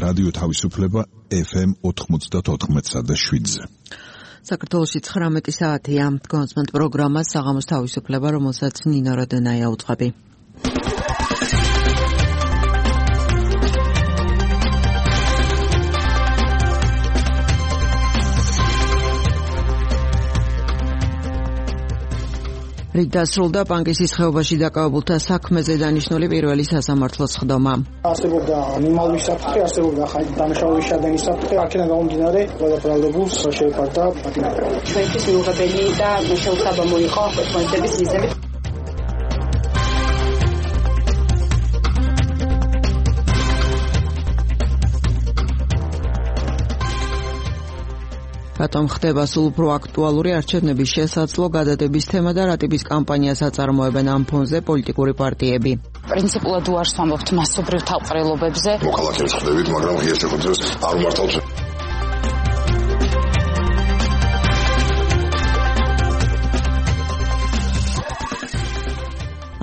რადიო თავისუფლება FM 94.7-ზე. საქართველოში 19 საათია. კონსმენტ პროგრამა საღამოს თავისუფლება, რომელსაც ნინო როდენაია უძღვები. რით დასრულდა პანკისის ხეობაში დაკავებულთა საქმეზე დანიშნული პირველი სასამართლოს ხდომა. არსებობდა მიმალვის საფრთხე, არსებობდა დამნაშავების შადენის საფრთხე, აქედან გამომდინარე, ყველა ბრალდებულს შეეფარდა პატიმრობა. ჩვენთვის მიუღებელი და შეუცაბამო იყო მოქმედების მიზნებით. რატომ ხდება სულ უფრო აქტუალური არჩევნების შესაძლო გადადების თემა და რა ტიპის კამპანიას აწარმოებენ ამ ფონზე პოლიტიკური პარტიები? პრინციპულად უარს ვამბობთ მასობრივ თავყრილობებზე. მოქალაქეებს ხდებით, მაგრამ ღია შეხვედრას არ მართავთ.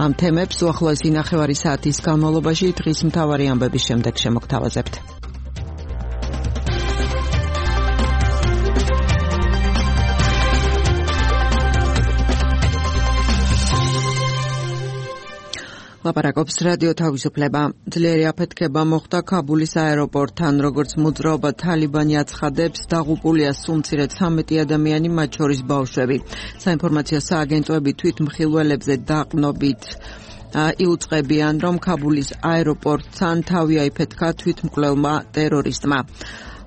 ამ თემებს უახლოესი ნახევარი საათის განმავლობაში დღის მთავარი ამბების შემდეგ შემოგთავაზებთ. ლაპარაკობს რადიო თავისუფლება. ძლიერი აფეთქება მოხდა ქაბულის აეროპორტთან, როგორც მოძრაობა თალიბანი აცხადებს, დაღუპულია სულ მცირედ 13 ადამიანი, მათ შორის ბავშვები. საინფორმაციო სააგენტოები თვითმხილველებზე დაყნობით იუწყებიან, რომ ქაბულის აეროპორტთან თავი აიფეთქა თვითმკვლელმა ტერორისტმა.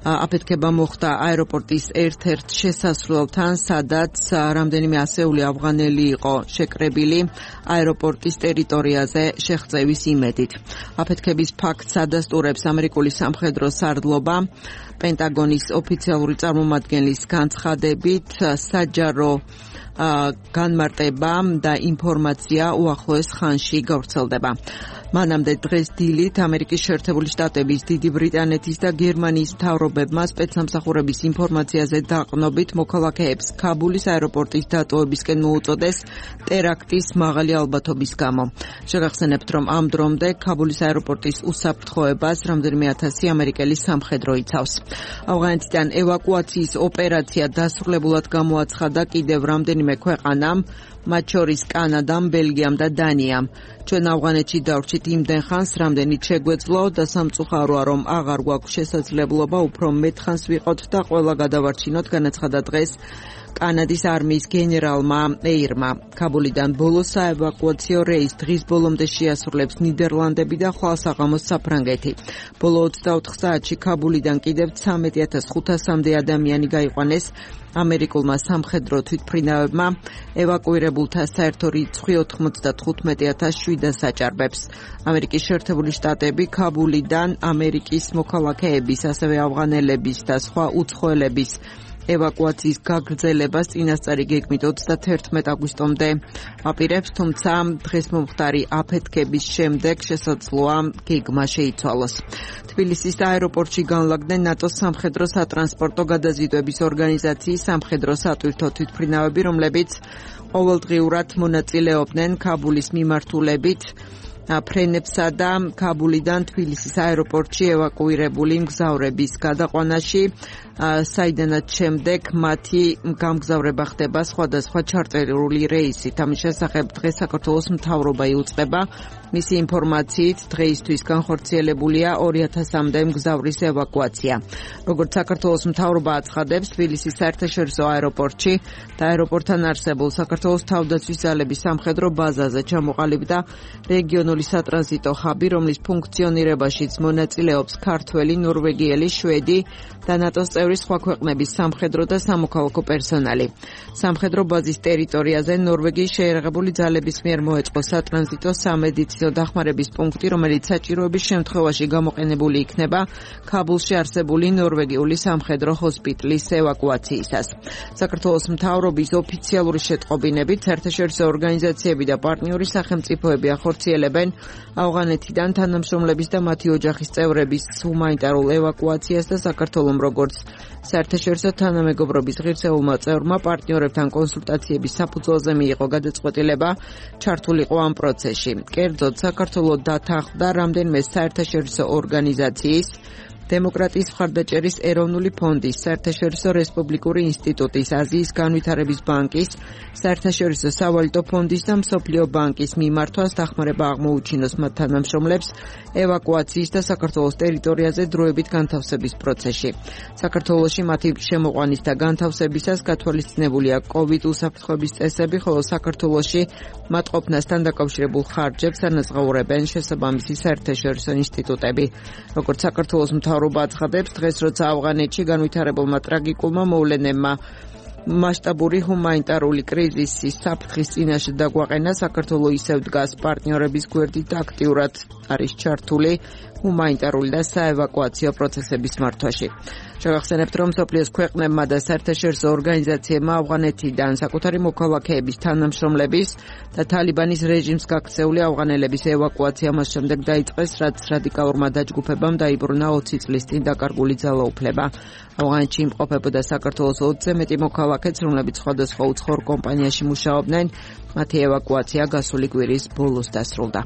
აფეთქება მოხდა აეროპორტის ერთ-ერთ შესასვლელთან, სადაც რამდენიმე ასეული ავღანელი იყო შეკრებილი აეროპორტის ტერიტორიაზე შეღწევის იმედით. აფეთქების ფაქტს ადასტურებს ამერიკული სამხედრო სარდლობა. პენტაგონის ოფიციალური წარმომადგენლის განცხადებით, საჯარო განმარტება და ინფორმაცია უახლოეს ხანში გავრცელდება. მანამდე დღეს დილით ამერიკის შეერთებული შტატების, დიდი ბრიტანეთის და გერმანიის მთავრობებმა სპეცსამსახურების ინფორმაციაზე დაყნობით მოქალაქეებს ქაბულის აეროპორტის დატოვებისკენ მოუწოდეს ტერაქტის მაღალი ალბათობის გამო. შეგახსენებთ, რომ ამ დრომდე ქაბულის აეროპორტის უსაფრთხოებას რამდენიმე ათასი ამერიკელი სამხედრო იცავს. ავღანეთიდან ევაკუაციის ოპერაცია დასრულებულად გამოაცხადა კიდევ რამდენიმე ქვეყანამ, მათ შორის კანადამ, ბელგიამ და დანიამ. ჩვენ ავღანეთში დავრჩით იმდენ ხანს, რამდენიც შეგვეძლო და სამწუხაროა, რომ აღარ გვაქვს შესაძლებლობა უფრო მეტ ხანს ვიყოთ და ყველა გადავარჩინოთ, განაცხადა დღეს კანადის არმიის გენერალმა ეირმა. ქაბულიდან ბოლო საევაკუაციო რეის დღის ბოლომდე შეასრულებს ნიდერლანდები და ხვალ საღამოს საფრანგეთი. ბოლო 24 საათში ქაბულიდან კიდევ 13,500-მდე ადამიანი გაიყვანეს ამერიკულმა სამხედრო თვითმფრინავებმა. ევაკუირებულთა საერთო რიცხვი 95,700 აჭარბებს. ამერიკის შეერთებული შტატები ქაბულიდან ამერიკის მოქალაქეების, ასევე ავღანელების და სხვა უცხოელების ევაკუაციის გაგრძელებას წინასწარი გეგმით 31 აგვისტომდე აპირებს, თუმცა დღეს მომხდარი აფეთქების შემდეგ შესაძლოა გეგმა შეიცვალოს. თბილისის აეროპორტში განლაგდნენ ნატოს სამხედრო სატრანსპორტო გადაზიდვების ორგანიზაციის სამხედრო სატვირთო თვითმფრინავები, რომლებიც ყოველდღიურად მონაწილეობდნენ ქაბულის მიმართულებით ფრენებსა და ქაბულიდან თბილისის აეროპორტში ევაკუირებული მგზავრების გადაყვანაში, საიდანაც შემდეგ მათი გამგზავრება ხდება სხვადასხვა ჩარტერული რეისით. ამის შესახებ დღეს საქართველოს მთავრობა იუწყება. მისი ინფორმაციით დღეისთვის განხორციელებულია 2000-მდე მგზავრის ევაკუაცია. როგორც საქართველოს მთავრობა აცხადებს, თბილისის საერთაშორისო აეროპორტში და აეროპორტთან არსებულ საქართველოს თავდაცვის ძალების სამხედრო ბაზაზე ჩამოყალიბდა რეგიონული სატრანზიტო ჰაბი, რომლის ფუნქციონირებაშიც მონაწილეობს ქართველი, ნორვეგიელი, შვედი და ნატოს წევრი სხვა ქვეყნების სამხედრო და სამოქალაქო პერსონალი. სამხედრო ბაზის ტერიტორიაზე ნორვეგიის შეიარაღებული ძალების მიერ მოეწყო სატრანზიტო სამედიცინო დახმარების პუნქტი, რომელიც საჭიროების შემთხვევაში გამოყენებული იქნება ქაბულში არსებული ნორვეგიული სამხედრო ჰოსპიტალის ევაკუაციისას. საქართველოს მთავრობის ოფიციალური შეტყობინებით საერთაშორისო ორგანიზაციები და პარტნიორი სახელმწიფოები ახორციელებენ ავღანეთიდან თანამშრომლების და მათი ოჯახის წევრების ჰუმანიტარულ ევაკუაციას და საქართველოს როგორც საერთაშორისო თანამეგობრობის ღირსეულმა წევრმა პარტნიორებთან კონსულტაციების საფუძველზე მიიღო გადაწყვეტილება ჩართულიყო ამ პროცესში. კერძოდ საქართველოს დათანხმდა რამდენიმე საერთაშორისო ორგანიზაციის დემოკრატიის მხარდაჭერის ეროვნული ფონდის, საერთაშორისო რესპუბლიკური ინსტიტუტის, აზიის განვითარების ბანკის, საერთაშორისო სავალუტო ფონდის და მსოფლიო ბანკის მიმართვას დახმარება აღმოუჩინოს მათ თანამშრომლებს ევაკუაციის და საქართველოს ტერიტორიაზე დროებით განთავსების პროცესში. საქართველოში მათი შემოყვანის და განთავსებისას გათვალისწინებულია COVID უსაფრთხოების წესები, ხოლო საქართველოში მათ ყოფნასთან დაკავშირებულ ხარჯებს ანაზღაურებენ შესაბამისი საერთაშორისო ინსტიტუტები. როგორც საქართველოს მთავრობა აცხადებს, დღეს როცა ავღანეთში განვითარებულმა ტრაგიკულმა მოვლენებმა მასშტაბური ჰუმანიტარული კრიზისის საფრთხის წინაშე დაგვაყენა, საქართველო ისევ დგას პარტნიორების გვერდით და აქტიურად არის ჩართული ჰუმანიტარული და საევაკუაციო პროცესების მართვაში. შევახსენებთ, რომ მსოფლიოს ქვეყნებმა და საერთაშორისო ორგანიზაციებმა ავღანეთიდან საკუთარი მოქალაქეების თანამშრომლების და თალიბანის რეჟიმს გაქცეული ავღანელების ევაკუაცია მას შემდეგ დაიწყეს, რაც რადიკალურმა დაჯგუფებამ დაიბრუნა 20 წლის წინ დაკარგული ძალაუფლება. ავღანეთში იმყოფებოდა საქართველოს 20-ზე მეტი მოქალაქეც, რომლებიც სხვადასხვა უცხოურ კომპანიაში მუშაობდნენ. მათი ევაკუაცია გასული კვირის ბოლოს დასრულდა.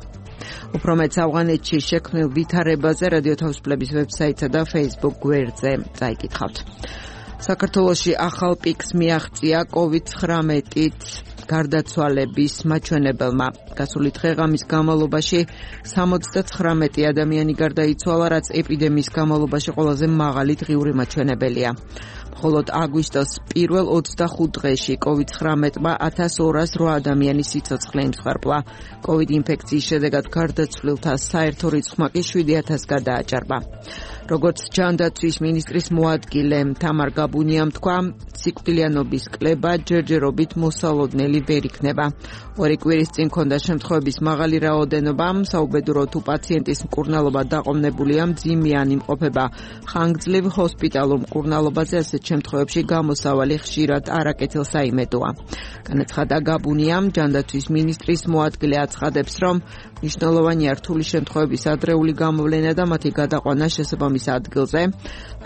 უფრო მეტს ავღანეთში შექმნილ ვითარებაზე რადიო თავისუფლების ვებსაიტსა და Facebook გვერდზე წაიკითხავთ. საქართველოში ახალ პიკს მიაღწია COVID-19-ით გარდაცვალების მაჩვენებელმა. გასული დღე-ღამის განმავლობაში 79 ადამიანი გარდაიცვალა, რაც ეპიდემიის განმავლობაში ყველაზე მაღალი დღიური მაჩვენებელია. მხოლოდ აგვისტოს პირველ 25 დღეში COVID-19-მა 1208 ადამიანის სიცოცხლე იმსხვრპლა. COVID ინფექციის შედეგად გარდაცვლილთა საერთო რიცხვმა კი 7000 გადააჭარბა. როგორც ჯანდაცვის მინისტრის მოადგილე თამარ გაბუნიამ თქვა, სიკვდილიანობის კლება ჯერჯერობით მოსალოდნელი ვერ იქნება. ორი კვირის წინ ქონდა შემთხვევების მაღალი რაოდენობა, საუბედურო თუ პაციენტის მკურნალობა დაყოვნებულია, მძიმიან იმყოფება ხანგრძლივ ჰოსპიტალურ მკურნალობაზე, ასეთ შემთხვევებში გამოსავალი ხშირად არაკეთილ საიმედოა. განაცხადა გაბუნიამ, ჯანდაცვის მინისტრის მოადგილე აცხადებს, რომ მნიშვნელოვანია რთული შემთხვევების ადრეული გამოვლენა და მათი გადაყვანა შესაბამის ადგილზე.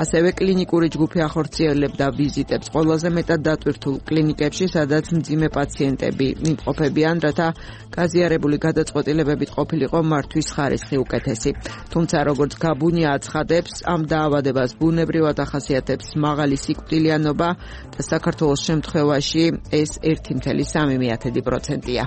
ასევე კლინიკური ჯგუფი ახორციელებდა ვიზიტებს ყველაზე მეტად დატვირთულ კლინიკებში, სადაც მძიმე პაციენტები იმყოფებიან, რათა გაზიარებული გადაწყვეტილებებით ყოფილიყო მართვის ხარისხი უკეთესი. თუმცა, როგორც გაბუნია აცხადებს, ამ დაავადებას ბუნებრივად ახასიათებს მაღალი სიკვდილიანობა და საქართველოს შემთხვევაში ეს 1,3%-ია.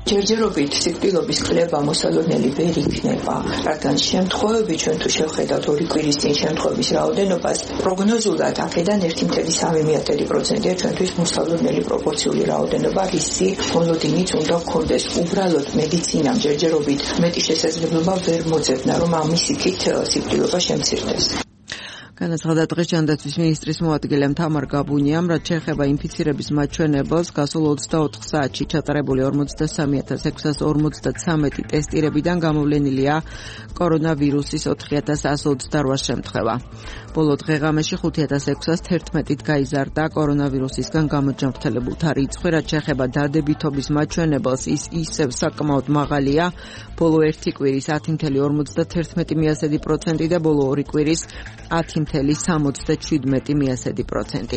ჯერჯერობით სიკვდილობის კლება მოსალოდნელი ვერ იქნება, რადგან შემთხვევები ჩვენ თუ შევხედავთ ორი კვირის წინ შემთხვევების რაოდენობას, პროგნოზულად აქედან 1,3%-ია ჩვენთვის მოსალოდნელი პროპორციული რაოდენობა, რისი მოლოდინიც უნდა გქონდეს. უბრალოდ მედიცინამ ჯერჯერობით მეტი შესაძლებლობა ვერ მოძებნა, რომ ამის იქით სიკვდილობა შემცირდეს. განაცხადა დღეს ჯანდაცვის მინისტრის მოადგილემ თამარ გაბუნიამ, რაც შეეხება ინფიცირების მაჩვენებელს, გასულ 24 საათში ჩატარებული 43653 ტესტირებიდან გამოვლენილია კორონავირუსის 4128 შემთხვევა. ბოლო დღე-ღამეში 5611-ით გაიზარდა კორონავირუსისგან გამოჯანმრთელებულთა რიცხვი, რაც შეეხება დადებითობის მაჩვენებელს, ის ისევ საკმაოდ მაღალია, ბოლო ერთი კვირის 10,51% და ბოლო ორი კვირის 10,77%.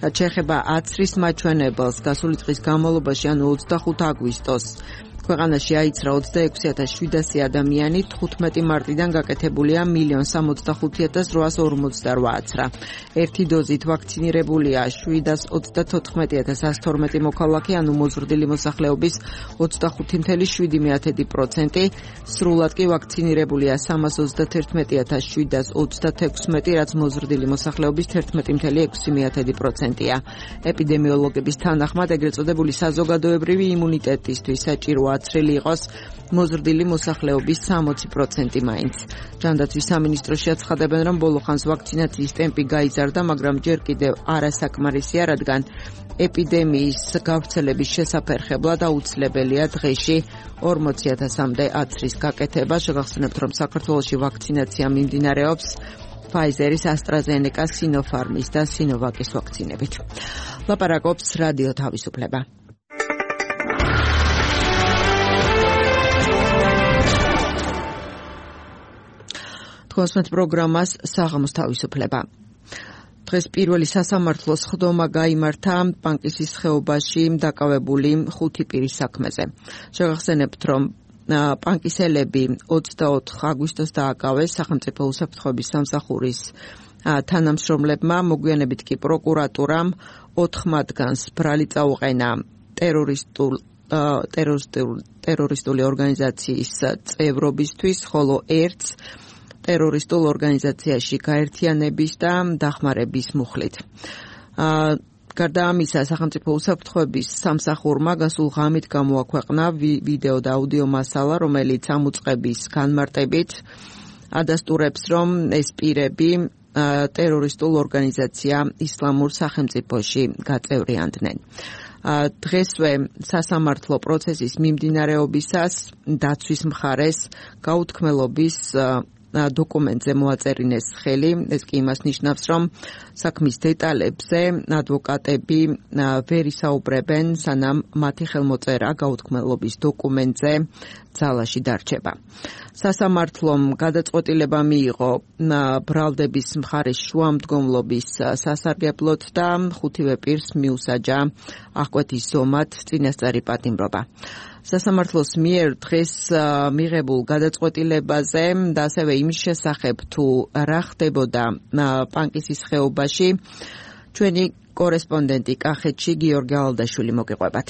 რაც შეეხება აცრის მაჩვენებელს, გასული დღის განმავლობაში, ანუ 25 აგვისტოს, ქვეყანაში აიცრა 26,700 ადამიანი, 15 მარტიდან გაკეთებულია 1,065,848 აცრა. ერთი დოზით ვაქცინირებულია 724,112 მოქალაქე, ანუ მოზრდილი მოსახლეობის 25,7%, სრულად კი ვაქცინირებულია 321,736, რაც მოზრდილი მოსახლეობის 11,6%-ია. ეპიდემიოლოგების თანახმად, ეგრეთ წოდებული საზოგადოებრივი იმუნიტეტისთვის საჭიროა აცრილი იყოს მოზრდილი მოსახლეობის 60% მაინც. ჯანდაცვის სამინისტროში აცხადებენ, რომ ბოლო ხანს ვაქცინაციის ტემპი გაიზარდა, მაგრამ ჯერ კიდევ არასაკმარისია, რადგან ეპიდემიის გავრცელების შესაფერხებლად აუცილებელია დღეში 40,000-მდე აცრის გაკეთება. შევახსენებთ, რომ საქართველოში ვაქცინაცია მიმდინარეობს Pfizer-ის, AstraZeneca-ს, Sinopharm-ის და Sinovac-ის ვაქცინებით. ლაპარაკობს რადიო თავისუფლება. თქვენს პროგრამას საღამოს თავისუფლება. დღეს პირველი სასამართლოს ხდომა გაიმართა პანკისის ხეობაში დაკავებული 5 პირის საქმეზე. შევახსენებთ, რომ პანკისელები 24 აგვისტოს დააკავეს სახელმწიფო უსაფრთხოების სამსახურის თანამშრომლებმა, მოგვიანებით კი პროკურატურამ 4 მათგანს ბრალი წაუყენა ტერორისტული ორგანიზაციის წევრობისთვის, ხოლო ერთს ტერორისტულ ორგანიზაციაში გაერთიანების და დახმარების მუხლით. გარდა ამისა, სახელმწიფო უსაფრთხოების სამსახურმა გასულ ღამით გამოაქვეყნა ვიდეო და აუდიო მასალა, რომელიც ამუწყების განმარტებით ადასტურებს, რომ ეს პირები ტერორისტულ ორგანიზაცია ისლამურ სახელმწიფოში გაწევრიანდნენ. დღესვე სასამართლო პროცესის მიმდინარეობისას დაცვის მხარეს გაუთქმელობის დოკუმენტზე მოაწერინეს ხელი. ეს კი იმას ნიშნავს, რომ საქმის დეტალებზე ადვოკატები ვერ ისაუბრებენ, სანამ მათი ხელმოწერა გაუთქმელობის დოკუმენტზე ძალაში დარჩება. სასამართლომ გადაწყვეტილება მიიღო ბრალდების მხარის შუამდგომლობის სასარგებლოდ და 5-ვე პირს მიუსაჯა აღკვეთის ზომად წინასწარი პატიმრობა. სასამართლოს მიერ დღეს მიღებულ გადაწყვეტილებაზე და ასევე იმის შესახებ, თუ რა ხდებოდა პანკისის ხეობაში, ჩვენი კორესპონდენტი კახეთში გიორგი ალდაშვილი მოგიყვებათ.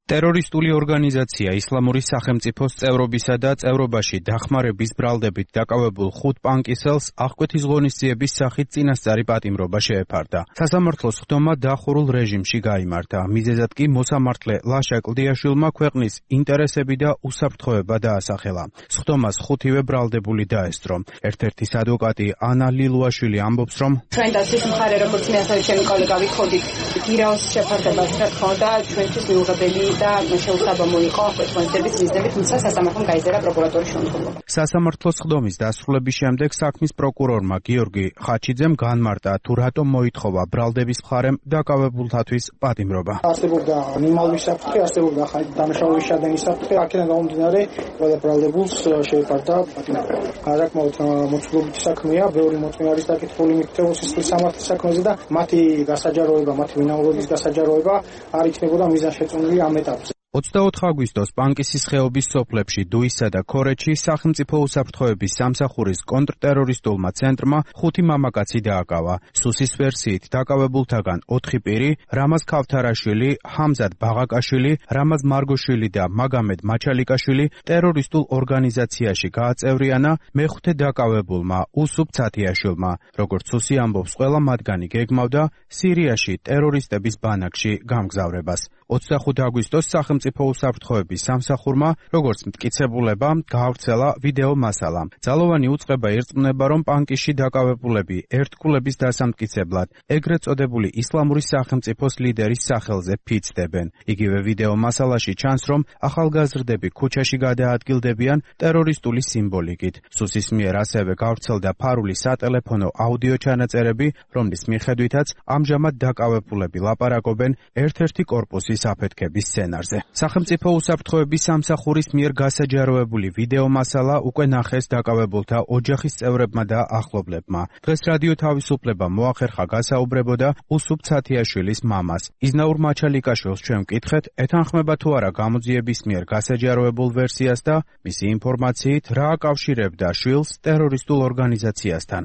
ტერორისტული ორგანიზაცია ისლამური სახელმწიფოს წევრობისა და წევრობაში დახმარების ბრალდებით დაკავებულ 5 პანკისელს აღკვეთის ღონისძიების სახით წინასწარი პატიმრობა შეეფარდა. სასამართლოს ხდომა დახურულ რეჟიმში გაიმართა. მიზეზად კი მოსამართლე ლაშა კლდიაშვილმა ქვეყნის ინტერესები და უსაფრთხოება დაასახელა. ხდომას 5-ვე ბრალდებული დაესწრო. ერთ-ერთის ადვოკატი ანა ლილუაშვილი ამბობს, რომ ჩვენ დასის მხარე, როგორც მე ასევე ჩემი კოლეგა ვიქოდით, გირაოს შეფარდებას რა თქმა უნდა ჩვენთვის მიუღებელი და შეუსაბამო იყო აღკვეთის მიზნებით, თუმცა სასამართლომ გაიზარდა პროკურატურის შემოქმედება. სასამართლოს ხდომის დასრულების შემდეგ საქმის პროკურორმა გიორგი ხაჩიძემ განმარტა, თუ რატომ მოითხოვა ბრალდების მხარემ დაკავებულთათვის პატიმრობა. არსებობდა ნიმალვის საფრთხე, არსებობდა დამშავების შადენის საფრთხე, აქედან გამომდინარე ყველა ბრალდებულს შეეფარდა პატიმრობა. საკმაოდ მოცულობითი საქმეა, ბევრი მოწმე არის დაკითხული მიქთეოსის სამართლის საქმეზე და მათი გასაჯაროება, მათი ვინაურობის გასაჯაროება არ იქნებოდა მიზანშეწონილი ამ ეტაპზე. 24 აგვისტოს პანკისის ხეობის სოფლებში დუისა და ქორეჩი სახელმწიფო უსაფრთხოების სამსახურის კონტრტერორისტულმა ცენტრმა 5 მამაკაცი დააკავა. სუსის ვერსიით დაკავებულთაგან 4 პირი, რამაზ ქავთარაშვილი, ჰამზად ბაღაკაშვილი, რამაზ მარგოშვილი და მაგამედ მაჩალიკაშვილი ტერორისტულ ორგანიზაციაში გააწევრიანა მეხუთე დაკავებულმა უსუფ ცათიაშვილმა. როგორც სუსი ამბობს, ყველა მათგანი გეგმავდა სირიაში ტერორისტების ბანაკში გამგზავრებას. 25 აგვისტოს სახელმწიფო უსაფრთხოების სამსახურმა, როგორც მტკიცებულება, გაავრცელა ვიდეო მასალა. ძალოვანი უწყება ირწმუნება, რომ პანკისში დაკავებულები ერთგულების დასამტკიცებლად ეგრეთ წოდებული ისლამური სახელმწიფოს ლიდერის სახელზე ფიცდებენ. იგივე ვიდეო მასალაში ჩანს, რომ ახალგაზრდები ქუჩაში გადაადგილდებიან ტერორისტული სიმბოლიკით. სუსის მიერ ასევე გავრცელდა ფარული სატელეფონო აუდიო ჩანაწერები, რომლის მიხედვითაც ამჟამად დაკავებულები ლაპარაკობენ ერთ-ერთი კორპუსის აფეთქების სცენარზე. სახელმწიფო უსაფრთხოების სამსახურის მიერ გასაჯაროებული ვიდეო მასალა უკვე ნახეს დაკავებულთა ოჯახის წევრებმა და ახლობლებმა. დღეს რადიო თავისუფლება მოახერხა გასაუბრებოდა უსუფ ცათიაშვილის მამას. იზნაურ მაჩალიკაშვილს ჩვენ ვკითხეთ, ეთანხმება თუ არა გამოძიების მიერ გასაჯაროებულ ვერსიას და მისი ინფორმაციით რა აკავშირებდა შვილს ტერორისტულ ორგანიზაციასთან.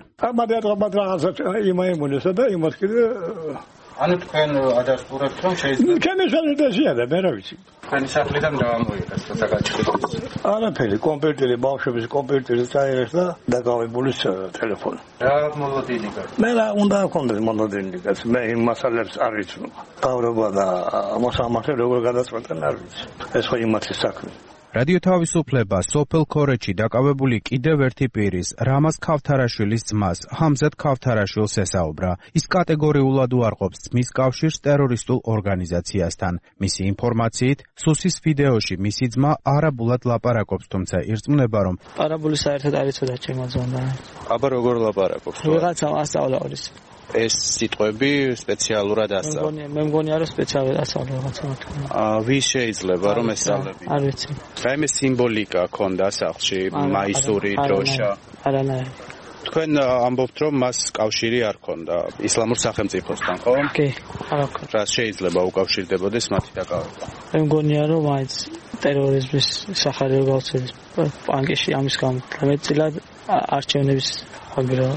ანუ თქვენ ადასტურებთ, რომ შეიძლება ჩემი სალიდაშია და მე რა ვიცი. თქვენი სახლიდან დავამოიღეთ და დაგაჭირეთ. არაფერი, კომპიუტერი, ბავშვების კომპიუტერი წაიღეს და დაგავებული ტელეფონი. რა მოლოდინი გაქვს? მე რა უნდა გქონდეს მოლოდინი გაქვს. მე იმ მასალებს არ ვიცნობ. გავრობა და მოსამართლე როგორ გადაწყვეტენ არ ვიცი. ეს ხო იმათი საქმე. რადიო თავისუფლება სოფელ ქორეჩი დაკავებული კიდევ ერთი პირის, რამაზ ქავთარაშვილის ძმას, ჰამზად ქავთარაშვილს ესაუბრა. ის კატეგორიულად უარყოფს ძმის კავშირს ტერორისტულ ორგანიზაციასთან. მისი ინფორმაციით, სუსის ვიდეოში მისი ძმა არაბულად ლაპარაკობს, თუმცა ირწმუნება, რომ არაბული საერთოდ არ იცოდა ჩემო ძმამ. აბა როგორ ლაპარაკობს? ვიღაცამ ასწავლა არის. ეს სიტყვები სპეციალურად ასწავლა. მე მგონია რომ სპეციალურად ასწავლა რაღაცა. ვის შეიძლება რომ ესწავლებინა? არ ვიცი. რაიმე სიმბოლიკა ქონდა სახლში, მაისური, დროშა. არანაირი. თქვენ ამბობთ რომ მას კავშირი არ ქონდა ისლამურ სახელმწიფოსთან, ხო? კი, არ აქვს. რა შეიძლება უკავშირდებოდეს მათი დაკავება? მე მგონია რომ მაინც ტერორიზმის სახარებო გავრცელების პანკში ამის გამო მეტწილად არჩევნების აგრა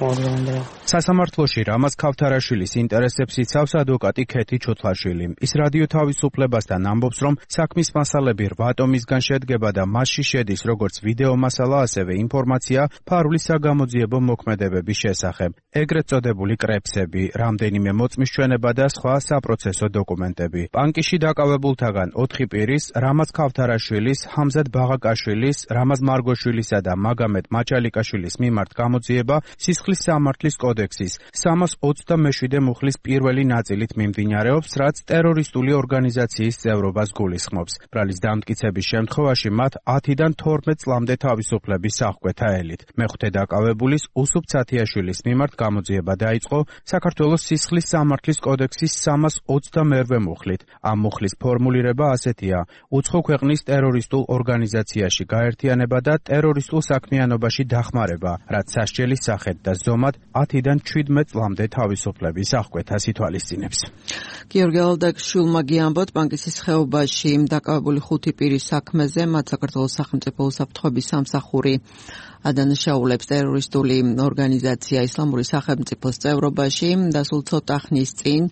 მოგზაურობა. სასამართლოში რამაზ ქავთარაშვილის ინტერესებს იცავს ადვოკატი ქეთი ჩოთლაშვილი. ის რადიო თავისუფლებასთან ამბობს, რომ საქმის მასალები 8 ტომისგან შედგება და მასში შედის როგორც ვიდეო მასალა, ასევე ინფორმაცია ფარული საგამოძიებო მოქმედებების შესახებ, ეგრეთ წოდებული კრეფსები, რამდენიმე მოწმის ჩვენება და სხვა საპროცესო დოკუმენტები. პანკში დაკავებულთაგან 4 პირის, რამაზ ქავთარაშვილის, ჰამზად ბაღაკაშვილის, რამაზ მარგოშვილისა და მაგამედ მაჭალიკაშვილის მიმართ გამოძიება სისხლის სამართლის კოდექსის 327 მუხლის პირველი ნაწილით მიმდინარეობს, რაც ტერორისტული ორგანიზაციის წევრობას გულისხმობს. ბრალის დამტკიცების შემთხვევაში მათ 10-დან 12 წლამდე თავისუფლების აღკვეთა ელით. მეხუთე დაკავებულის უსუფ ცათიაშვილის მიმართ გამოძიება დაიწყო საქართველოს სისხლის სამართლის კოდექსის 328 მუხლით. ამ მუხლის ფორმულირება ასეთია: უცხო ქვეყნის ტერორისტულ ორგანიზაციაში გაერთიანება და ტერორისტულ საქმიანობაში დახმარება, რაც სასჯელის სახით და ზომად 10-დან 17 წლამდე თავისუფლების აღკვეთას ითვალისწინებს. გიორგი ალდაკშვილმა გიამბოთ პანკისის ხეობაში დაკავებული 5 პირის საქმეზე, მათ საქართველოს სახელმწიფო უსაფრთხოების სამსახური ადანაშაულებს ტერორისტული ორგანიზაცია ისლამური სახელმწიფოს წევრობაში და სულ ცოტა ხნის წინ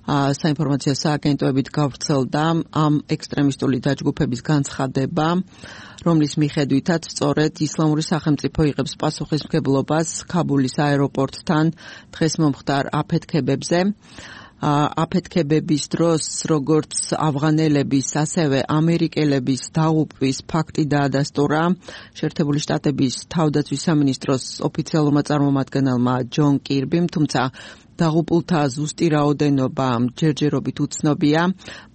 საინფორმაციო სააგენტოებით გავრცელდა ამ ექსტრემისტული დაჯგუფების განცხადება, რომლის მიხედვითაც სწორედ ისლამური სახელმწიფო იღებს პასუხისმგებლობას ქაბულის აეროპორტთან დღეს მომხდარ აფეთქებებზე. აფეთქებების დროს როგორც ავღანელების, ასევე ამერიკელების დაღუპვის ფაქტი დაადასტურა შეერთებული შტატების თავდაცვის სამინისტროს ოფიციალურმა წარმომადგენელმა ჯონ კირბიმ, თუმცა დაღუპულთა ზუსტი რაოდენობა ჯერჯერობით უცნობია.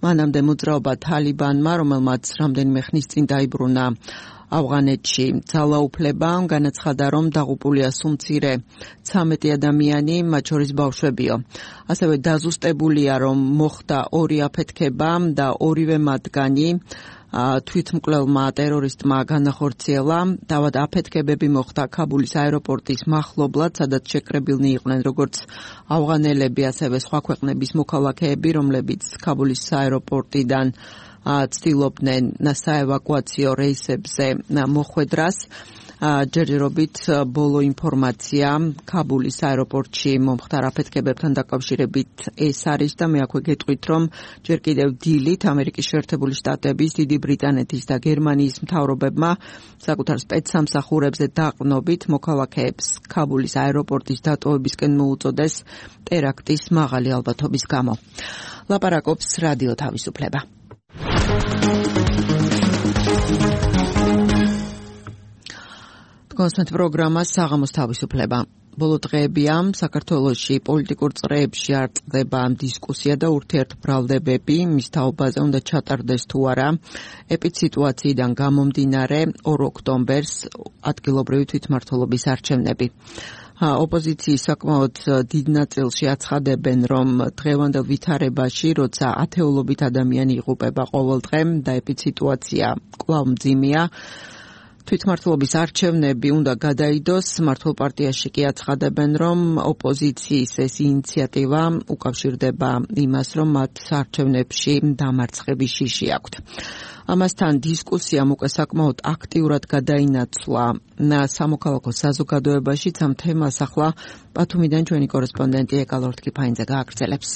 მანამდე მოძრაობა თალიბანმა, რომელმაც რამდენიმე ხნის წინ დაიბრუნა ავღანეთში ძალაუფლება, განაცხადა, რომ დაღუპულია სულ მცირე 13 ადამიანი, მათ შორის ბავშვებიო. ასევე დაზუსტებულია, რომ მოხდა 2 აფეთქება და ორივე მათგანი თვითმკვლელმა ტერორისტმა განახორციელა. თავად აფეთქებები მოხდა ქაბულის აეროპორტის მახლობლად, სადაც შეკრებილნი იყვნენ როგორც ავღანელები, ასევე სხვა ქვეყნების მოქალაქეები, რომლებიც ქაბულის აეროპორტიდან ცდილობდნენ საევაკუაციო რეისებზე მოხვედრას. ჯერჯერობით ბოლო ინფორმაცია ქაბულის აეროპორტში მომხდარ აფეთქებებთან დაკავშირებით ეს არის და მე აქვე გეტყვით, რომ ჯერ კიდევ დილით ამერიკის შეერთებული შტატების, დიდი ბრიტანეთის და გერმანიის მთავრობებმა საკუთარ სპეცსამსახურებზე დაყრდნობით მოქალაქეებს ქაბულის აეროპორტის დატოვებისკენ მოუწოდეს ტერაქტის მაღალი ალბათობის გამო. ლაპარაკობს რადიო თავისუფლება. კონსტანტ პროგრამა საღამოს თავისუფლება. ბოლო დღეებია საქართველოში პოლიტიკურ წრეებში არ წყდება დისკუსია და ურთიერთბრალდებები მის თაობაზე უნდა ჩატარდეს თუ არა. ეპიდსიტუაციიდან გამომდინარე 2 ოქტომბერს ადგილობრივი თვითმმართველობის არჩევნები. ოპოზიციის საკმაოდ დიდ ნაწილში აცხადებენ, რომ დღევანდელ ვითარებაში, როცა ათეულობით ადამიანი იღუპება ყოველდღე და ეპიდსიტუაცია კვლავ მძიმეა, თვითმმართველობის არჩევნები უნდა გადაიდოს. მართლ პარტიაში კი აცხადებენ, რომ ოპოზიციის ეს ინიციატივა უკავშირდება იმას, რომ მათ არჩევნებში დამარცხების შიში აქვთ. ამასთან დისკუსიამ უკვე საკმაოდ აქტიურად გადაინაცვლა სამოქალაქო საზოგადოებაშიც. ამ თემას ახლა ბათუმიდან ჩვენი კორესპონდენტი ეკალორთკი ფაინძე გააგრძელებს.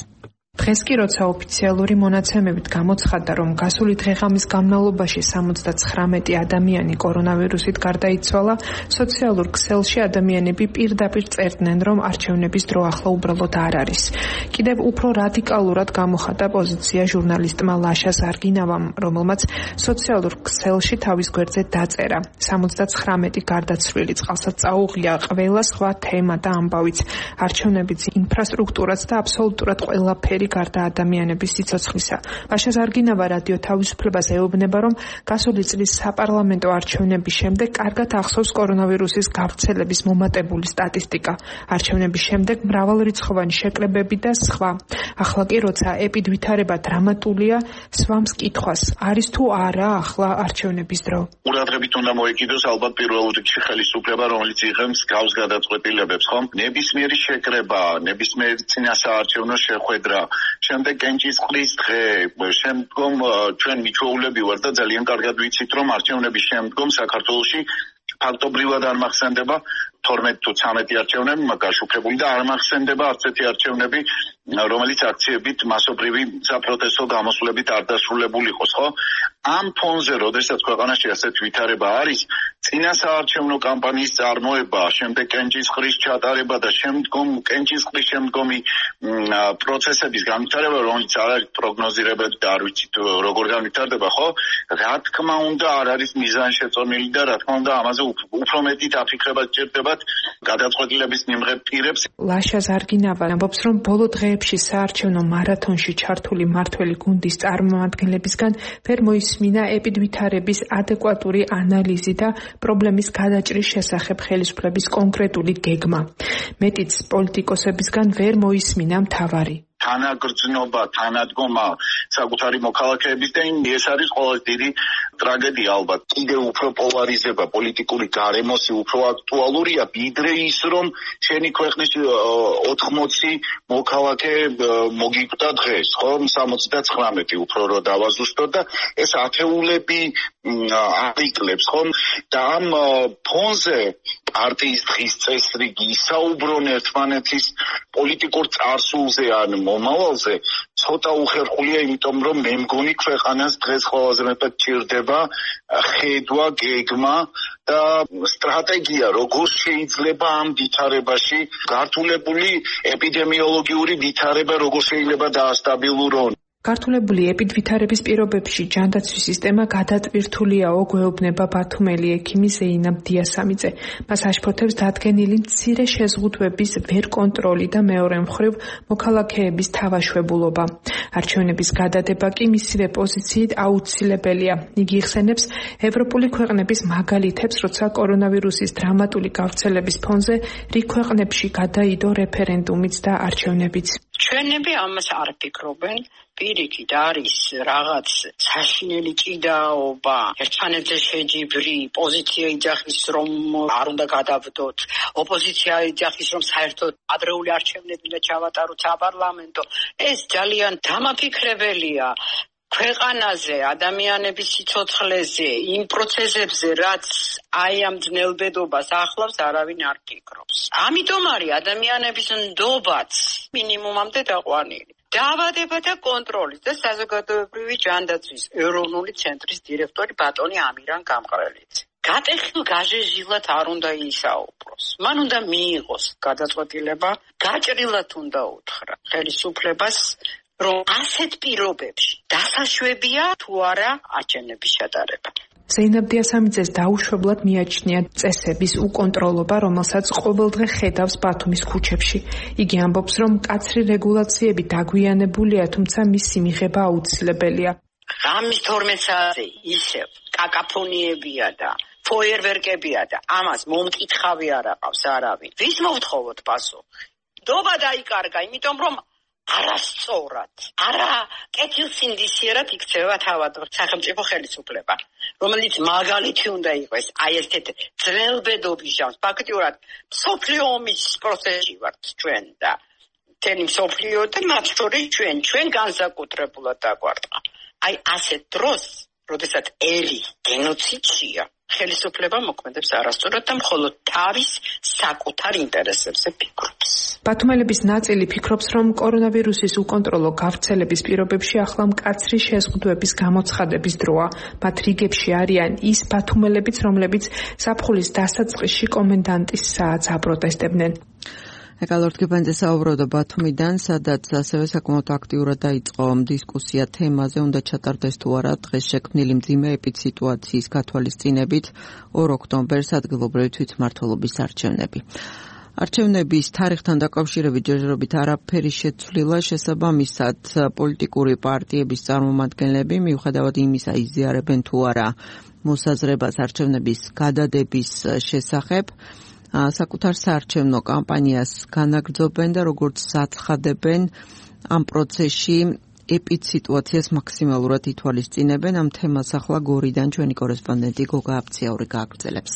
დღეს კი როცა ოფიციალური მონაცემებით გამოცხადდა, რომ გასული დღე-ღამის განმავლობაში 79 ადამიანი კორონავირუსით გარდაიცვალა, სოციალურ ქსელში ადამიანები პირდაპირ წერდნენ, რომ არჩევნების დრო ახლა უბრალოდ არ არის. კიდევ უფრო რადიკალურად გამოხატა პოზიცია ჟურნალისტმა ლაშა ზარგინავამ, რომელმაც სოციალურ ქსელში თავის გვერდზე დაწერა: 79 გარდაცვლილი, წყალსაც წაუღია, ყველა სხვა თემა და ამბავიც, არჩევნებიც, ინფრასტრუქტურაც და აბსოლუტურად ყველაფერი გარდა ადამიანების სიცოცხლისა. ლაშა ზარგინავა რადიო თავისუფლებას ეუბნება, რომ გასული წლის საპარლამენტო არჩევნების შემდეგ კარგად ახსოვს კორონავირუსის გავრცელების მომატებული სტატისტიკა. არჩევნების შემდეგ მრავალრიცხოვანი შეკრებები და სხვა. ახლა კი როცა ეპიდვითარება დრამატულია, სვამს კითხვას, არის თუ არა ახლა არჩევნების დრო. ყურადღებით უნდა მოეკიდოს ალბათ პირველ რიგში ხელისუფლება, რომელიც იღებს გავს გადაწყვეტილებებს, ხომ? ნებისმიერი შეკრება, ნებისმიერი წინასაარჩევნო შეხვედრა შემდეგ კენჭისყრის დღე, შემდგომ ჩვენ მიჩვეულები ვართ და ძალიან კარგად ვიცით, რომ არჩევნების შემდგომ საქართველოში ფაქტობრივად არ მახსენდება 12 თუ 13 არჩევნები გაშუქებული და არ მახსენდება არც ერთი არჩევნები, რომელიც აქციებით მასობრივი საპროტესტო გამოსვლებით არ დასრულებული იყოს, ხო? ამ ფონზე, როდესაც ქვეყანაში ასეთ ვითარება არის, წინა საარჩევნო კამპანიის წარმოება, შემდეგ კენჭისყრის ჩატარება და შემდგომ კენჭისყრის შემდგომი პროცესების განვითარება, რომელიც არ არის პროგნოზირებადი და არ ვიცით როგორ განვითარდება, ხო? რა თქმა უნდა, არ არის მიზანშეწონილი და რა თქმა უნდა, ამაზე უფრო მეტი დაფიქრება სჭირდებათ გადაწყვეტილების მიმღებ პირებს. ლაშა ზარგინავა ამბობს, რომ ბოლო დღეებში საარჩევნო მარათონში ჩართული მმართველი გუნდის წარმომადგენლებისგან ვერ მოისმინა ეპიდვითარების ადეკვატური ანალიზი და პრობლემის გადაჭრის შესახებ ხელისუფლების კონკრეტული გეგმა. მეტიც პოლიტიკოსებისგან ვერ მოისმინა მთავარი თანაგრძნობა, თანადგომა საკუთარი მოქალაქეების და ეს არის ყველაზე დიდი ტრაგედია ალბათ. კიდევ უფრო პოლარიზება პოლიტიკური გარემოსი უფრო აქტუალურია, ვიდრე ის, რომ შენი ქვეყნის 80 მოქალაქე მოგიკვდა დღეს, ხო? 79 უფრო რო დავაზუსტოთ და ეს ათეულები არიკლებს, ხო? და ამ ფონზე პარტიის დღის წესრიგი ისაუბრონ ერთმანეთის პოლიტიკურ წარსულზე ან მომავალზე ცოტა უხერხულია, იმიტომ რომ მე მგონი ქვეყანას დღეს ყველაზე მეტად ჭირდება ხედვა, გეგმა და სტრატეგია, როგორ შეიძლება ამ ვითარებაში გართულებული ეპიდემიოლოგიური ვითარება როგორ შეიძლება დაასტაბილურონ. გართულებული ეპიდვითარების პირობებში ჯანდაცვის სისტემა გადატვირთულიაო, გვეუბნება ბათუმელი ექიმი ზეინაბ დიასამიძე. მას აშფოთებს დადგენილი მცირე შეზღუდვების ვერ კონტროლი და მეორე მხრივ მოქალაქეების თავაშვებულობა. არჩევნების გადადება კი მისივე პოზიციით აუცილებელია. იგი იხსენებს ევროპული ქვეყნების მაგალითებს, როცა კორონავირუსის დრამატული გავრცელების ფონზე რიგ ქვეყნებში გადაიდო რეფერენდუმიც და არჩევნებიც. ჩვენები ამას არ ფიქრობენ. პირიქით არის რაღაც საშინელი ჭიდაობა, ერთმანეთზე შეჯიბრი, პოზიცია იძახის, რომ არ უნდა გადავდოთ, ოპოზიცია იძახის, რომ საერთოდ ადრეული არჩევნები და ჩავატაროთ საპარლამენტო. ეს ძალიან დამაფიქრებელია. ქვეყანაზე, ადამიანების სიცოცხლეზე, იმ პროცესებზე, რაც აი ამ ძნელბედობას ახლავს, არავინ არ ფიქრობს. ამიტომ არის ადამიანების ნდობაც მინიმუმამდე დაყვანილი. დაავადება და კონტროლის და საზოგადოებრივი ჯანდაცვის ეროვნული ცენტრის დირექტორი ბატონი ამირან გამყრელიძე. გატეხილ გაჟეჟილად არ უნდა ისაუბროს. მან უნდა მიიღოს გადაწყვეტილება, გაჭრილად უნდა უთხრა ხელისუფლებას, რომ ასეთ პირობებში დასაშვებია თუ არა არჩევნების ჩატარება. ზეინაბ დიასამიძეს დაუშვებლად მიაჩნია წესების უკონტროლობა, რომელსაც ყოველდღე ხედავს ბათუმის ქუჩებში. იგი ამბობს, რომ მკაცრი რეგულაციები დაგვიანებულია, თუმცა მისი მიღება აუცილებელია. ღამის 12 საათზე ისევ კაკაფონიებია და ფოიერვერკებია და ამას მომკითხავი არ აყავს არავინ. ვის მოვთხოვოთ პასუხი? ნდობა დაიკარგა, იმიტომ რომ არასწორად, არა კეთილსინდისიერად იქცევა თავად სახელმწიფო ხელისუფლება, რომელიც მაგალითი უნდა იყოს აი ესეთ ძნელბედობის ჟამს. ფაქტიურად მსოფლიო ომის პროცესში ვართ ჩვენ და მთელი მსოფლიო და მათ შორის ჩვენ განსაკუთრებულად დაგვარტყა. აი ასეთ დროს, როდესაც ელი გენოციდია, ხელისუფლება მოქმედებს არასწორად და მხოლოდ თავის საკუთარ ინტერესებზე ფიქრობს. ბათუმელების ნაწილი ფიქრობს, რომ კორონავირუსის უკონტროლო გავრცელების პირობებში ახლა მკაცრი შეზღუდვების გამოცხადების დროა. მათ რიგებში არიან ის ბათუმელებიც, რომლებიც ზაფხულის დასაწყისში კომენდანტის საათს აპროტესტებდნენ. ეკალორტკიბანძე საუბრობდა ბათუმიდან, სადაც ასევე საკმაოდ აქტიურად დაიწყო დისკუსია თემაზე, უნდა ჩატარდეს თუ არა დღეს შექმნილი მძიმე ეპიდსიტუაციის გათვალისწინებით 2 ოქტომბერს ადგილობრივი თვითმმართველობის არჩევნები. არჩევნების თარიღთან დაკავშირებით ჯერჯერობით არაფერი შეცვლილა, შესაბამისად პოლიტიკური პარტიების წარმომადგენლები მიუხედავად იმისა იზიარებენ თუ არა მოსაზრებას არჩევნების გადადების შესახებ, საკუთარ საარჩევნო კამპანიას განაგრძობენ და როგორც საცხადებენ ამ პროცესში ეპიდსიტუაციას მაქსიმალურად ითვალისწინებენ. ამ თემას ახლა გორიდან ჩვენი კორესპონდენტი გოგა აფციაური გააგრძელებს.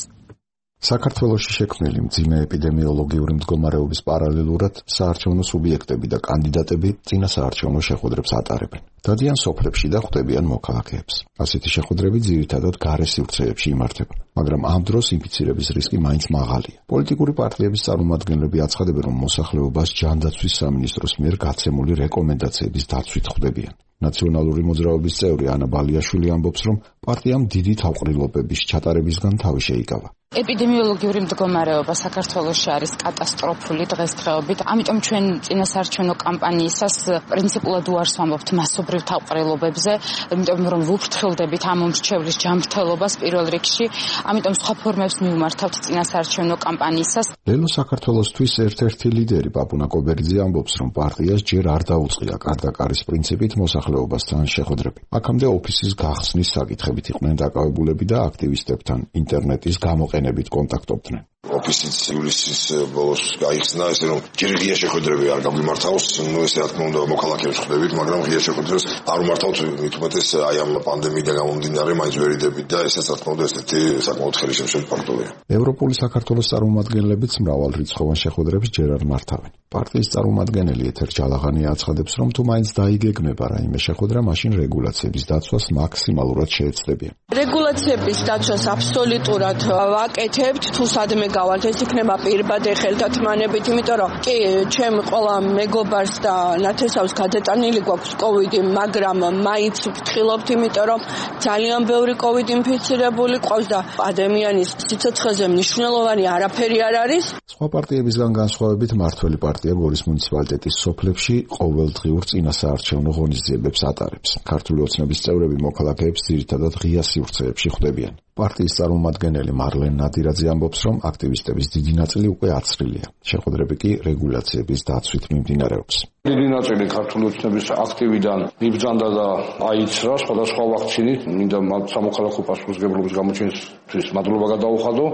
საქართველოში შექმნილი მძიმე ეპიდემიოლოგიური მდგომარეობის პარალელურად საარჩევნო სუბიექტები და კანდიდატები წინა საარჩევნო შეხვედრებს ატარებენ. დადიან სოფლებში და ხვდებიან მოქალაქეებს. ასეთი შეხვედრები ძირითადად გარე სივრცეებში იმართება, მაგრამ ამ დროს ინფიცირების რისკი მაინც მაღალია. პოლიტიკური პარტიების წარმომადგენლები აცხადებენ, რომ მოსახლეობას ჯანდაცვის სამინისტროს მიერ გაცემული რეკომენდაციების დაცვით ხვდებიან. ნაციონალური მოძრაობის წევრი ანა ბალიაშვილი ამბობს, რომ პარტიამ დიდი თავყრილობების ჩატარებისგან თავი შეიკავა. ეპიდემიოლოგიური მდგომარეობა საქართველოში არის კატასტროფული დღესდღეობით, ამიტომ ჩვენ წინასაარჩევნო კამპანიისას პრინციპულად უარს ვამბობთ მასობრივ თავყრილობებზე, იმიტომ რომ ვუფრთხილდებით ამ მომრჩევლის ჯანმრთელობას პირველ რიგში, ამიტომ სხვა ფორმებს მივმართავთ წინასაარჩევნო კამპანიისას. ლელო საქართველოსთვის ერთ-ერთი ლიდერი პაპუნა კობერიძე ამბობს, რომ პარტიას ჯერ არ დაუწყია კარდაკარის პრინციპით მოსახლეობასთან შეხვედრები. აქამდე ოფისის გახსნის საკითხებით იყვნენ დაკავებულები და აქტივისტებთან ინტერნეტის გამოყენებით კონტაქტობდნენ. ოფისიც ივლისის ბოლოს გაიხსნა, ესე რომ ჯერ ღია შეხვედრები არ გამიმართავს, ესე რა თქმა უნდა მოქალაქეებს ხვდებით, მაგრამ ღია შეხვედრებს არ უმართავთ, მით უმეტეს აი ამ პანდემიიდან გამომდინარე მაინც ვერ იდებით და ესაც რა თქმა უნდა ესეთი საკმაოდ ხელისშემშელი ფაქტორია. ევროპული საქართველოს წარმომადგენლებიც მრავალრიცხოვან შეხვედრებს ჯერ არ მართავენ. პარტიის წარმომადგენელი ეთერ ჯალაღანი აცხადებს, რომ თუ მაინც დაიგეგმება რაიმე შეხვედრა, მაშინ რეგულაციების დაცვას მაქსიმალურად შეეცდებიან. რეგულაციების დაცვას აბსოლუტურად ვაკეთებთ, თუ სადმე გავალთ, ეს იქნება პირბადე ხელთათმანებით, იმიტომ რომ კი ჩემ ყველა მეგობარს და ნათესავს გადატანილი გვაქვს კოვიდი, მაგრამ მაინც ვფრთხილობთ, იმიტომ რომ ძალიან ბევრი კოვიდ ინფიცირებული ყავს და ადამიანის სიცოცხლეზე მნიშვნელოვანი არაფერი არ არის. სხვა პარტიებისგან განსხვავებით მართველი პარტია გორის მუნიციპალიტეტის სოფლებში ყოველდღიურ წინასაარჩევნო ღონისძიებებს ატარებს. ქართული ოცნების წევრები მოქალაქეებს ძირითადად ღია სივრცეებში ხვდებიან. პარტიის წარმომადგენელი მარლენ ნადირაძე ამბობს, რომ აქტივისტების დიდი ნაწილი უკვე აცრილია. შეხვედრები კი რეგულაციების დაცვით მიმდინარეობს. დიდი ნაწილი ქართული ოცნების აქტივიდან მიბრძანდა და აიცრა სხვადასხვა ვაქცინით, მინდა სამოქალაქო პასუხისმგებლობის გამოჩენისთვის მადლობა გადაუხადო.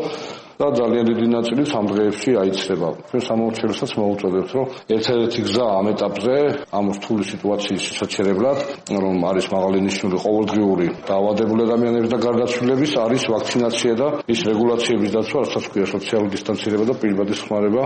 და ძალიან დიდი ნაწილი ამ დღეებში აიცრება. ჩვენ სამომრჩევლსაც მოვუწოდებთ, რომ ერთ-ერთი გზა ამ ეტაპზე, ამ რთული სიტუაციის შესაჩერებლად, რომ არის მაღალი ნიშნული ყოველდღიური დაავადებული ადამიანების და გარდაცვლილების, არის ვაქცინაცია და ის რეგულაციების დაცვა, რასაც ქვია სოციალური დისტანცირება და პირბადი ხმარება.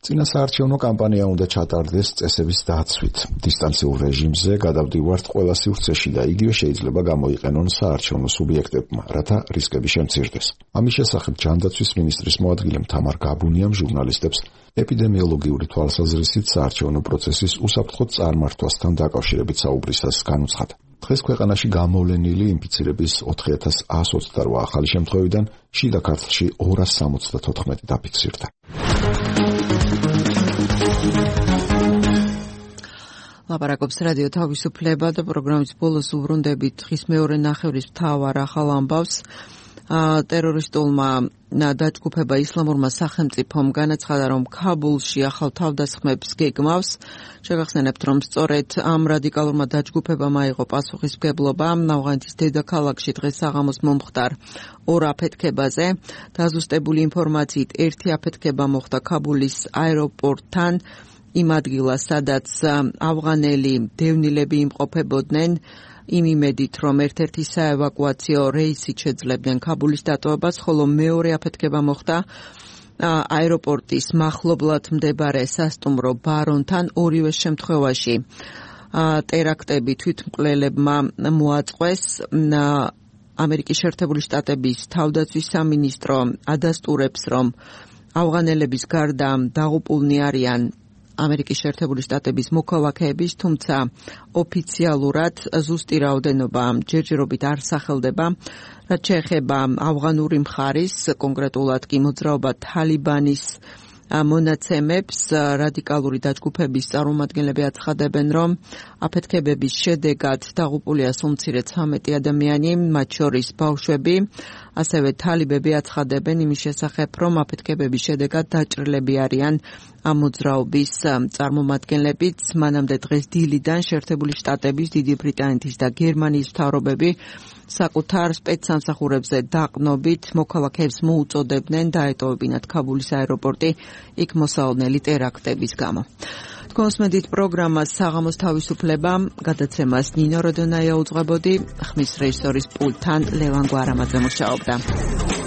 წინასაარჩევნო კამპანია უნდა ჩატარდეს წესების დაცვით. დისტანციურ რეჟიმზე გადავდივართ ყველა სივრცეში და იგივე შეიძლება გამოიყენონ საარჩევნო სუბიექტებმა, რათა რისკები შემცირდეს. ამის შესახებ ჯანდაცვის მინისტრის მოადგილე თამარ გაბუნიამ ჟურნალისტებს ეპიდემიოლოგიური თვალსაზრისით საარჩევნო პროცესის უსაფრთხო წარმართვასთან დაკავშირებით საუბრისას განუცხადა. დღეს ქვეყანაში გამოვლენილი ინფიცირების 4128 ახალი შემთხვევიდან შიდა ქართლში 274 დაფიქსირდა. ლაპარაკობს რადიო თავისუფლება და პროგრამის ბოლოს უბრუნდებით დღის მეორე ნახევრის მთავარ ახალ ამბავს. ტერორისტულმა დაჯგუფება ისლამურმა სახელმწიფომ განაცხადა, რომ ქაბულში ახალ თავდასხმებს გეგმავს. შეგახსენებთ, რომ სწორედ ამ რადიკალურმა დაჯგუფებამ აიღო პასუხისმგებლობა ავღანეთის დედაქალაქში დღეს საღამოს მომხდარ ორ აფეთქებაზე. დაზუსტებული ინფორმაციით ერთი აფეთქება მოხდა ქაბულის აეროპორტთან, იმ ადგილას, სადაც ავღანელი დევნილები იმყოფებოდნენ, იმ იმედით, რომ ერთ-ერთი საევაკუაციო რეისით შეძლებდნენ ქაბულის დატოვებას, ხოლო მეორე აფეთქება მოხდა აეროპორტის მახლობლად მდებარე სასტუმრო ბარონთან. ორივე შემთხვევაში ტერაქტები თვითმკვლელებმა მოაწყვეს. ამერიკის შეერთებული შტატების თავდაცვის სამინისტრო ადასტურებს, რომ ავღანელების გარდა დაღუპულნი არიან ამერიკის შეერთებული შტატების მოქალაქეების, თუმცა ოფიციალურად ზუსტი რაოდენობა ჯერჯერობით არ სახელდება. რაც შეეხება ავღანური მხარის, კონკრეტულად კი მოძრაობა თალიბანის მონაცემებს, რადიკალური დაჯგუფების წარმომადგენლები აცხადებენ, რომ აფეთქებების შედეგად დაღუპულია სულ მცირე 13 ადამიანი, მათ შორის ბავშვები. ასევე თალიბები აცხადებენ იმის შესახებ, რომ აფეთქებების შედეგად დაჭრილები არიან ამ მოძრაობის წარმომადგენლებიც. მანამდე დღეს დილიდან შეერთებული შტატების, დიდი ბრიტანეთის და გერმანიის მთავრობები საკუთარ სპეცსამსახურებზე დაყნობით მოქალაქეებს მოუწოდებდნენ დაეტოვებინათ ქაბულის აეროპორტი იქ მოსალოდნელი ტერაქტების გამო. კონსმედით პროგრამას საღამოს თავისუფლება, გადაცემას ნინო როდონაია უძღვებოდი, ხმის რეჟისორის პულტთან ლევან გვარამაძე მუშაობდა.